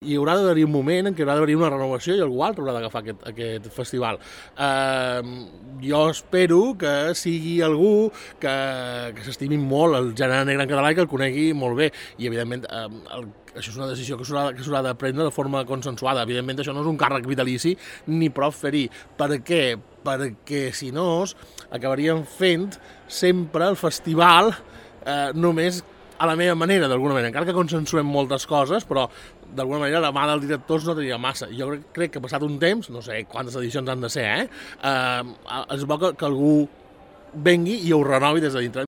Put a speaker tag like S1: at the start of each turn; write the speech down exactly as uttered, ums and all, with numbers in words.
S1: Hi haurà d'haver un moment en què haurà d'haver una renovació i algú altre haurà d'agafar aquest, aquest festival. Eh, jo espero que sigui algú que, que s'estimi molt el gènere negre en català i que el conegui molt bé. I, evidentment, eh, el, això és una decisió que s'haurà de prendre de forma consensuada. Evidentment, això no és un càrrec vitalici ni prou fer-hi. Per què? Perquè, si no, acabaríem fent sempre el festival eh, només a la meva manera, d'alguna manera, encara que consensuem moltes coses, però d'alguna manera la mà dels directors no tenia massa. Jo crec, crec que passat un temps, no sé quantes edicions han de ser, eh, eh és bo que, que algú vengui i ho renovi des de dintre.